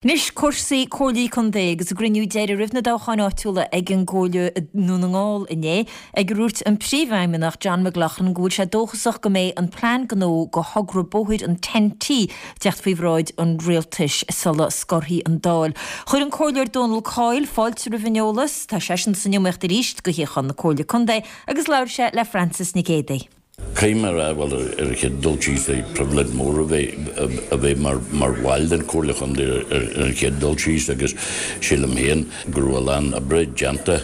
Anois cúrsaí Comhairlí Contae agus a gcruinniú deiridh roimh na dtoghcháin áitiúla ag an gComhairle i nDún na nGall inné, ag ar dhúirt an Príomhfheidhmeannach John McLaughlin go bhfuil sé dóchasach go mbeidh an plean gnó do thogra bóthair an TEN-T ag teacht faoi bhráid an Rialtais sula scorfaidh an Dáil. Chuir an Comhairleoir Dónal Coyle fáilte roimh an eolas. Tá seisean san iomaíocht arís do shuíochán na Comhairle Contae agus labhair sé le Francis Nic Géadaigh. Caithfidh mé a rá, bhuel, ar an chéad dul síos, pribhléid mhór a bheith a bheith mar mar bhall den Chomhairle Chontae ar an chéad dul síos agus sílim féin go raibh a lán oibre déanta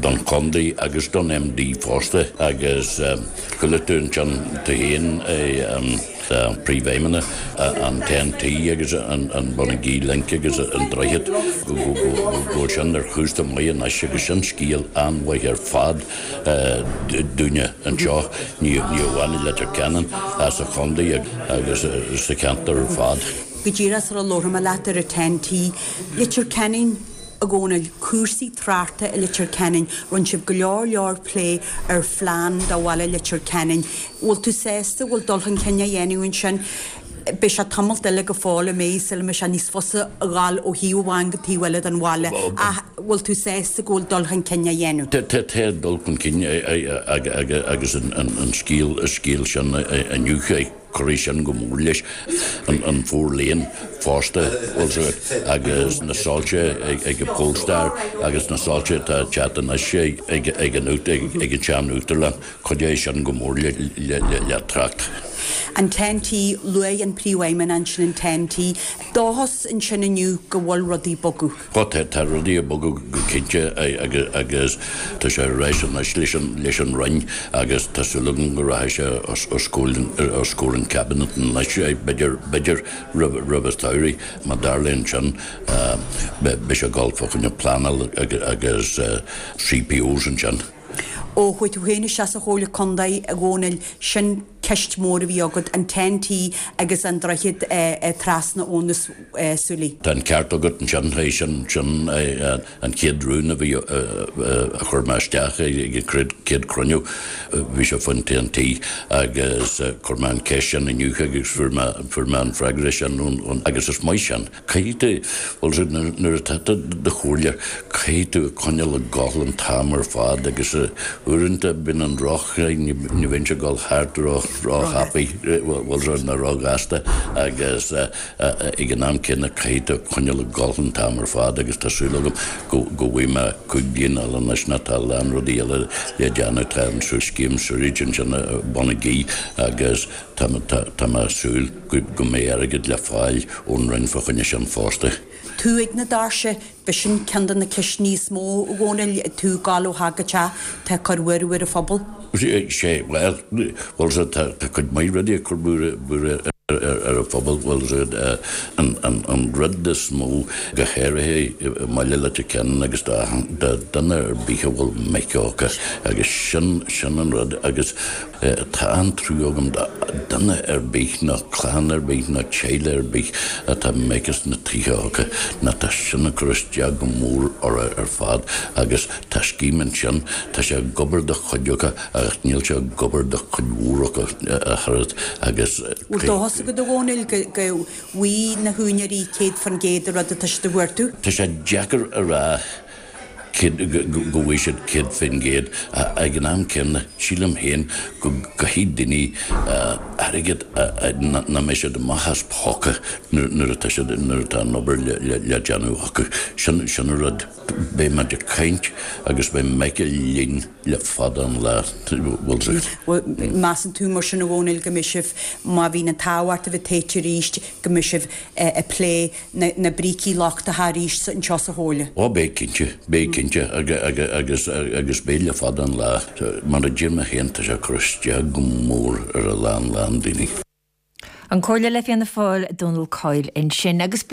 don chontae agus don MD fosta agus chuala tú ansin tú féin Príomhfheidhmeannach an TEN-T agus an Bonagee Link agus an droichead go bhfuil sin ar chúrsa maith anois agus sin scéal an-mhaith ar fad. dúinne anseo, ní amháin i Leitir Ceanainn, ach sa chontae agus sa cheantar ar fad. Go díreach sula labharfaidh mé leat ar an TEN-T, Leitir Ceanainn, a Dhónaill, cúrsaí tráchta i Leitir Ceanainn, rinne sibh go leor leor plé ar phlean do bhaile Leitir Ceanainn. Bhfuil tú sásta go bhfuil dul chun cinn á dhéanamh ansin? Beidh sé tamalt eile go fóill imithe sula mbeidh sé níos fusa a ghabháil ó thaobh amháin go taobh eile den bhaile ach bhfuil tú sásta go bhfuil dul chun cinn á dhéanamh? Tá dul chun cinn agus an scéal sin inniu, cuirfidh sin go mór leis an Four Lane fosta agus na soilse ag an Polestar agus na soilse atá ag teacht anois ag an sean-Uachtarlann. Cuideoidh sin go mór le trácht. An TEN-T, Luaigh an Príomhfheidhmeannach ansin an TEN-T. Dóchas ansin inniu go bhfuil rudaí ag bogadh. Ó tá rudaí ag bogadh go cinnte agus tá sé ar ais anois leis an Roinn agus tá súil agam go rachaidh sé os comhair an Cabinet anois, b'fhéidir roimh an tsamhraidh. Má tharlaíonn sin beidh sé ag dul fá choinne pleanáil agus CPOs ansin. Ó chuaigh tú féin isteach sa Chomhairle Contae, a Dhónaill, sin ceist mhór a bhí agat, an TEN-T agus an droichead trasna Abhainn na Súilí. Tá an ceart agat ansin, sin sin an chéad rún a bhí a chuir mé isteach ag an chéad chruinniú, bhí sé faoin TEN-T agus chuir mé an cheist sin inniu agus fuair mé fuair mé an freagra sin ón agus is maith sin. Caithfidh tú, bhuel, nuair atá tú i do chomhairleoir, caithfidh tú coinneáil ag gabháil an t-am ar fad agus uaireanta bíonn an roth, ní bhíonn sé ag dul thart ró-thapaidh, bhuel, nó ró-ghasta agus ag an am céanna caithfidh tú coinneáil ag gabháil an t-am ar fad agus tá súil agam go bhfaighidh mé 5 bliana eile anois nó tá a lán rudaí eile le déanamh, tá an scéim sewerage ansin i Bonagee agus Tá mé ag súil go mbeidh airgead le fáil ón Roinn fá choinne sin fosta. Tú ag na doirse, b'shin ceann de na ceisteanna is mó, a Dhónaill, tú ag gabháil ó theach go teach, tá ag cur buaireamh ar an phobal. Sé, bhuel, bhuel, tá cuid mhaith rudaí ag cur buaireamh ar an phobal, bhuel, an rud is mó, go háirithe i mbaile Leitir Ceanainn agus do dhuine ar bith a bhfuil mic acu agus sin, sin an rud agus Tá an-trua agam do dhuine ar bith nó clann ar bith nó teaghlach ar bith atá mic sna tithe acu nó tá sin ag cur isteach go mór orthu ar fad agus tá scéim ansin, tá sé ag obair do chuid acu ach níl sé ag obair do chuid mhór acu ach oiread agus. Bhfuil dóchas agat a Dhónaill go bhfaighidh na húinéirí 100% an rud atá siad a chuartú? Tá sé deacair a rá. go bhfaighidh siad 100% ag an am céanna, sílim féin go gcaithfidh daoine airgead nach mbeidh siad amach as póca nuair atá siad, nuair atá an obair le déanamh acu. Sin, sin an rud. Beidh muid ag caint agus beidh Michael linn le fada an lá, bhfuil 's agat. Measann tú mar sin a Dhónaill go mbeidh sibh, má bhíonn an t-ádh ort a bheith tofa arís, go mbeidh sibh ag plé na brící lochtacha arís anseo sa Chomhairle? Ó beidh cinnte, beidh cinnte agus agus beidh le fada an lá. Mar a deir mé féin tá sé ag cur isteach go mór ar a lán lán daoine. An Comhairleoir le Fianna Fáil, Dónal Coyle ansin. Agus.